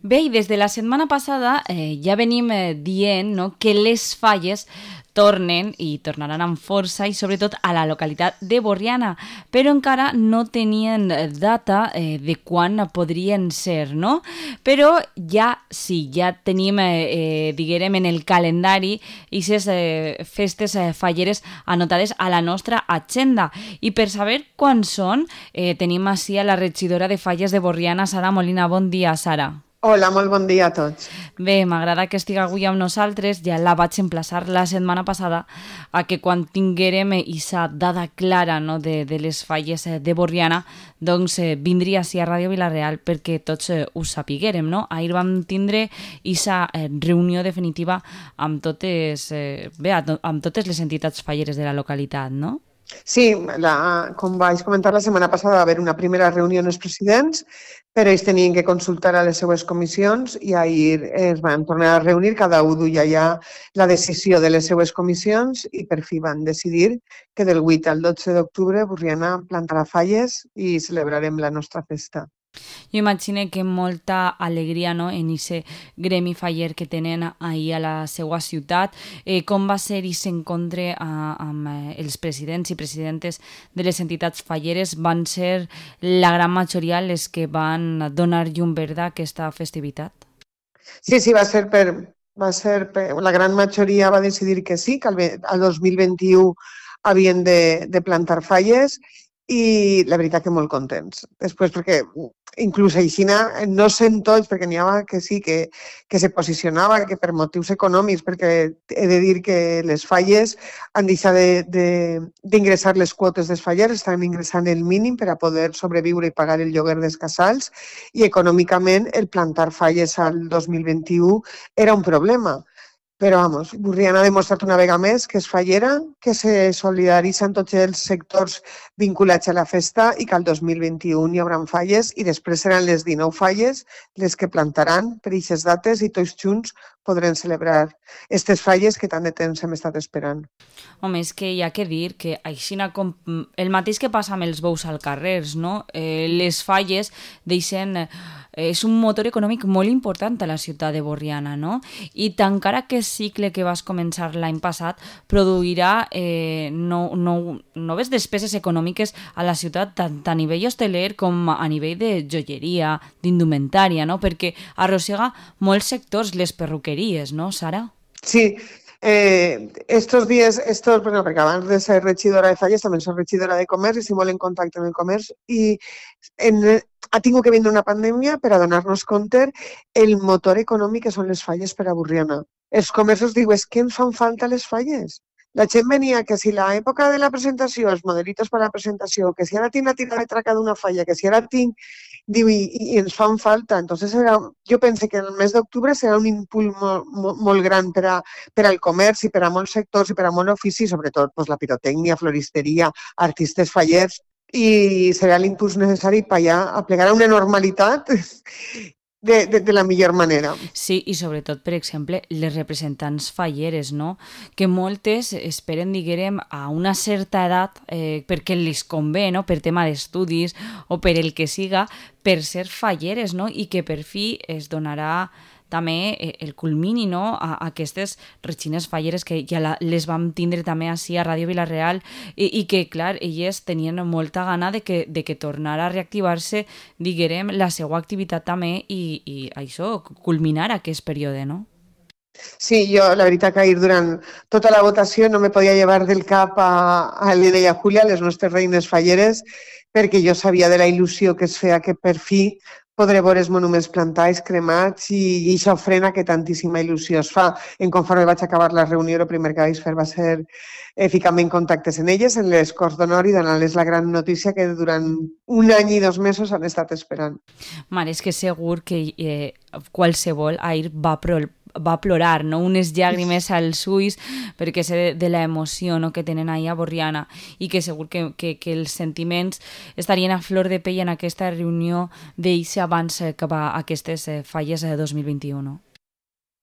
Bé, i des de la setmana passada ja venim dient, no, que les falles tornen i tornaran amb força i sobretot a la localitat de Borriana, però encara no tenien data de quan podrien ser, no? Però ja sí, ja tenim, diguem, en el calendari aquestes festes falleres anotades a la nostra agenda. I per saber quan són, tenim així a la regidora de Falles de Borriana, Sara Molina. Bon dia, Sara. Hola, molt bon dia a tots. Bé, m'agrada que estigui avui amb nosaltres. Ja la vaig emplaçar la setmana passada a que quan tinguérem aquesta dada clara, no, de les falles de Borriana, doncs vindria així a Ràdio Vila-real perquè tots ho sapiguérem, no? Ahir vam tindre aquesta reunió definitiva amb totes, amb totes les entitats falleres de la localitat, no? Sí, com vaig comentar la setmana passada, va haver una primera reunió amb els presidents, però ells tenien que consultar a les seues comissions i ahir es van tornar a reunir, cada un duia ja la decisió de les seues comissions i per fi van decidir que del 8 al 12 d'octubre Borriana plantarà falles i celebrarem la nostra festa. Jo imagino que molta alegria, no, en aquest gremi faller que tenen ahir a la seva ciutat. Com va ser aquest encontre amb els presidents i presidentes de les entitats falleres? Van ser la gran majoria les que van donar llum verda a aquesta festivitat? Sí, va ser la gran majoria va decidir que sí, que al 2021 havien de plantar falles i la veritat que molt contents. Després, perquè inclús així no sent tots, perquè n'hi havia que sí, que se posicionava, que per motius econòmics, perquè he de dir que les falles han deixat d'ingressar les quotes dels fallers, estan ingressant el mínim per a poder sobreviure i pagar el lloguer dels casals, i econòmicament el plantar falles al 2021 era un problema. Però, vamos, Borriana ha demostrat una vegada més que és fallera, que se solidaritza en tots els sectors vinculats a la festa i que al 2021 hi haurà falles i després seran les 19 falles les que plantaran per aquestes dates i tots junts podrem celebrar aquestes falles que tant de temps hem estat esperant. Home, és que hi ha que dir que aixina com el mateix que passa amb els bous al carrer, no? Les falles deixen... és un motor econòmic molt important a la ciutat de Borriana, no? I tancar aquest cicle que vas començar l'any passat produirà noves despeses econòmiques a la ciutat, tant a nivell hosteler com a nivell de joieria, d'indumentària, no? Perquè arrossega molts sectors, les perruqueries, no, Sara? Sí, estos días, bueno, perquè abans de ser regidora de Falles també soc regidora de Comerç i estic molt en contacte amb el comerç i ha tingut que vindre una pandèmia per a donar-nos compte el motor econòmic que són les falles per a Borriana. Els comerços diuen, és que ens fan falta les falles. La gent venia que si l'època de la presentació, els modelitos per a la presentació, que si ara tinc la tira de traca d'una falla, que si ara tinc... Diu, i ens fan falta. Entonces, jo penso que el mes d'octubre serà un impuls molt gran per al comerç i per a molts sectors i per a molts oficis, sobretot pues, la pirotècnia, floristeria, artistes fallers, i serà l'impuls necessari per allà a plegar a una normalitat de la millor manera. Sí, i sobretot, per exemple, les representants falleres, no? Que moltes esperen, diguem, a una certa edat perquè els convé, no? Per tema d'estudis o per el que siga, per ser falleres, no? I que per fi es donarà també el culmini, no? A aquestes regines falleres que ja les vam tindre també així a Ràdio Vila-real i que, clar, elles tenien molta gana de que tornara a reactivar-se, diguem, la seva activitat també i això, culminar aquest període, no? Sí, jo la veritat que ahir durant tota la votació no me podia llevar del cap a l'Helena i a Júlia, les nostres reines falleres, perquè jo sabia de la il·lusió que es feia que per fi podré veure els monuments plantats, cremats i això frena que tantíssima il·lusió es fa. Conforme vaig acabar la reunió, el primer que vaig fer va ser ficar-me en contactes en elles, en les Corts d'Honor i donar-les la gran notícia que durant un any i 2 mesos han estat esperant. Mare, és que segur que qualsevol ahir va plorar, no? Unes llàgrimes als ulls perquè sé de l'emoció, no? Que tenen ahir a Borriana i que segur que els sentiments estarien a flor de pell en aquesta reunió d'ells abans que va aquestes falles de 2021, no?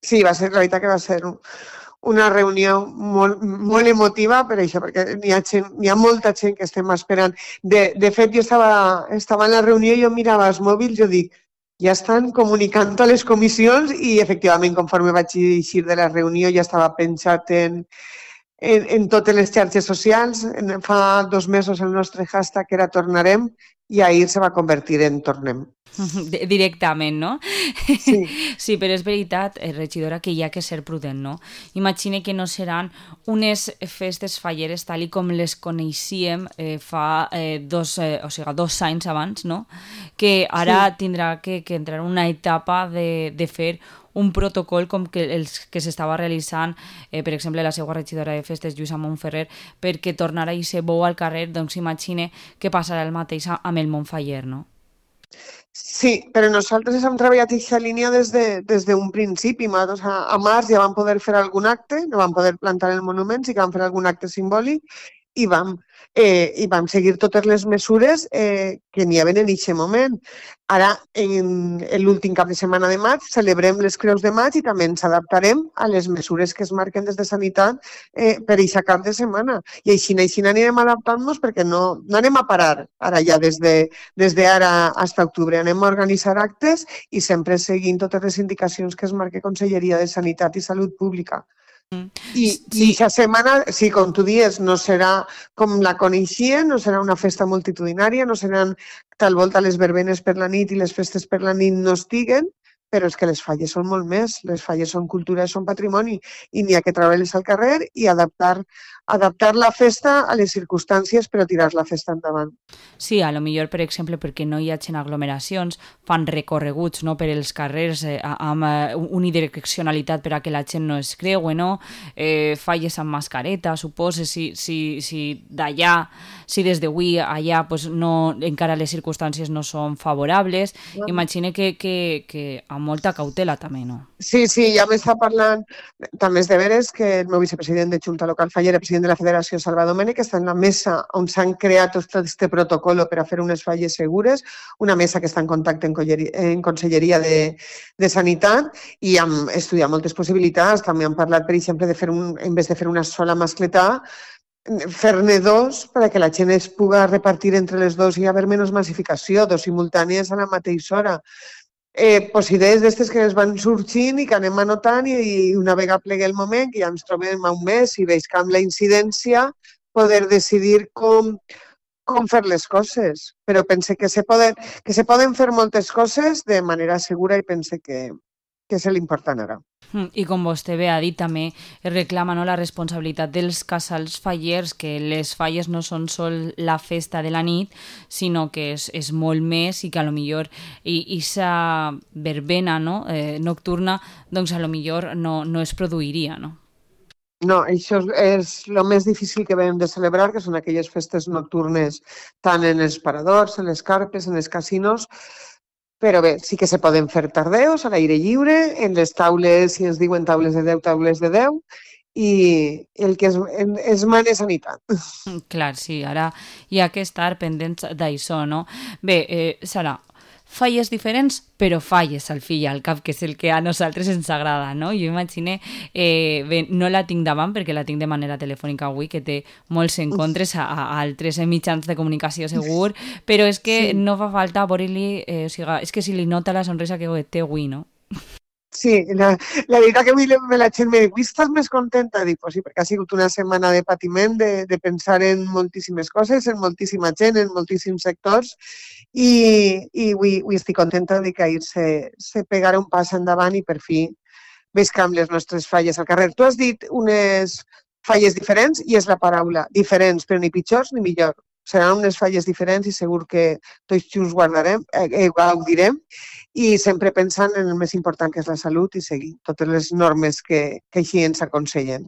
Sí, la veritat que va ser una reunió molt emotiva per això, perquè hi ha molta gent que estem esperant. De fet, jo estava en la reunió i jo mirava els mòbils i jo dic, ja estan comunicant a les comissions i, efectivament, conforme vaig eixir de la reunió, ja estava pensat en totes les xarxes socials. Fa 2 mesos el nostre hashtag era Tornarem i ahir se va convertir en Tornem. Directament, no? Sí. Sí, però és veritat, regidora, que hi ha que ser prudent, no? Imagine que no seran unes festes falleres tal i com les coneixíem fa 2 anys abans, no? Que ara Sí. tindrà que entrar en una etapa de fer un protocol com que els que s'estava realitzant, per exemple, la seva regidora de festes, Lluïsa Montferrer, perquè tornarà a ser bou al carrer, doncs imagine que passarà el mateix amb el Montfaller, no? Sí, però nosaltres hem treballat aquesta línia des d'un principi. Nosaltres a març ja vam poder fer algun acte, no vam poder plantar el monument, sí que vam fer algun acte simbòlic i vam seguir totes les mesures que n'hi havia en aquest moment. Ara, en l'últim cap de setmana de maig, celebrem les Creus de Maig i també ens adaptarem a les mesures que es marquen des de Sanitat per aquest cap de setmana. I així anirem adaptant-nos perquè no anem a parar ara ja des d'ara fins a octubre. Anem a organitzar actes i sempre seguint totes les indicacions que es marca Conselleria de Sanitat i Salut Pública. I Sí, aquesta setmana, sí, com tu dius, no serà com la coneixien, no serà una festa multitudinària, no seran tal volta les verbenes per la nit i les festes per la nit no estiguen, però és que les falles són molt més. Les falles són cultura, són patrimoni i n'hi ha que treure-les al carrer i adaptar la festa a les circumstàncies, però tirar la festa endavant. sí, a lo millor, per exemple, perquè no hi hagin aglomeracions, fan recorreguts, no, per els carrers amb unidireccionalitat per a que la gent no es creue, no? Falles amb mascareta, suposo, si d'allà, si des d'avui allà pues, no, encara les circumstàncies no són favorables, imagine que amb molta cautela també, no? Sí, ja m'està parlant, també és de veres que el meu vicepresident de Junta Local Fallera, president de la Federació, Salva Domènech, està en la mesa on s'han creat tot aquest protocol per a fer unes falles segures, una mesa que està en contacte en Conselleria de Sanitat i hem estudiat moltes possibilitats. També han parlat, per exemple, en vez de fer una sola mascletà, fer-ne dos perquè la gent es pugui repartir entre les dos i haver menys massificació, dos simultànies a la mateixa hora. Idees d'aquestes que ens van sorgint i que anem anotant i una vegada plegui el moment, que ja ens trobem a un mes i veig que amb la incidència poder decidir com fer les coses. Però pense que se poden fer moltes coses de manera segura i pense que és l'important ara. I com vostè bé ha dit, també es reclama, no, la responsabilitat dels casals fallers, que les falles no són sol la festa de la nit, sinó que és molt més i que a lo millor aquesta verbena, no, nocturna, doncs a lo millor no es produiria, no? No, això és el més difícil que vam de celebrar, que són aquelles festes nocturnes tant en els paradors, en les carpes, en els casinos, però bé, sí que se poden fer tardeos a l'aire lliure, en les taules, si ens diuen taules de 10, taules de 10, i el que es mana és sanitat. Clar, sí, ara hi ha que estar pendents d'això, no? Bé, Sara, falles diferents, però falles al fi i al cap, que és el que a nosaltres ens agrada, no? Jo imagine, bé, no la tinc davant perquè la tinc de manera telefònica avui, que té molts encontres a altres mitjans de comunicació segur, però és que Sí. no fa falta veure-li, o sigui, és que si li nota la sonrisa que té avui, no? Sí, la veritat que avui la gent me diu, avui estàs més contenta? Dic, pues sí, perquè ha sigut una setmana de patiment, de pensar en moltíssimes coses, en moltíssima gent, en moltíssims sectors, i avui estic contenta de que ahir se pegara un pas endavant i per fi veig que amb les nostres falles al carrer. Tu has dit unes falles diferents i és la paraula, diferents, però ni pitjors ni millor. Seran unes falles diferents i segur que tots junts gaudirem i sempre pensant en el més important, que és la salut, i seguir totes les normes que així ens aconsellen.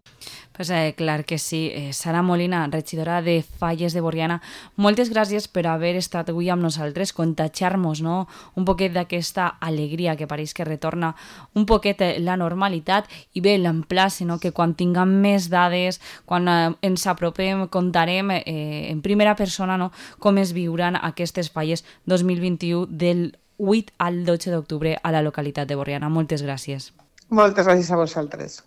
Pues, clar que sí. Sara Molina, regidora de Falles de Borriana, moltes gràcies per haver estat avui amb nosaltres, contagiar-nos, no, un poquet d'aquesta alegria que pareix que retorna un poquet la normalitat i bé, l'emplace, no, que quan tinguem més dades, quan ens apropem, contarem en primera persona, no, com es viuran aquestes falles 2021 del 8 al 12 d'octubre a la localitat de Borriana. Moltes gràcies. Moltes gràcies a vosaltres.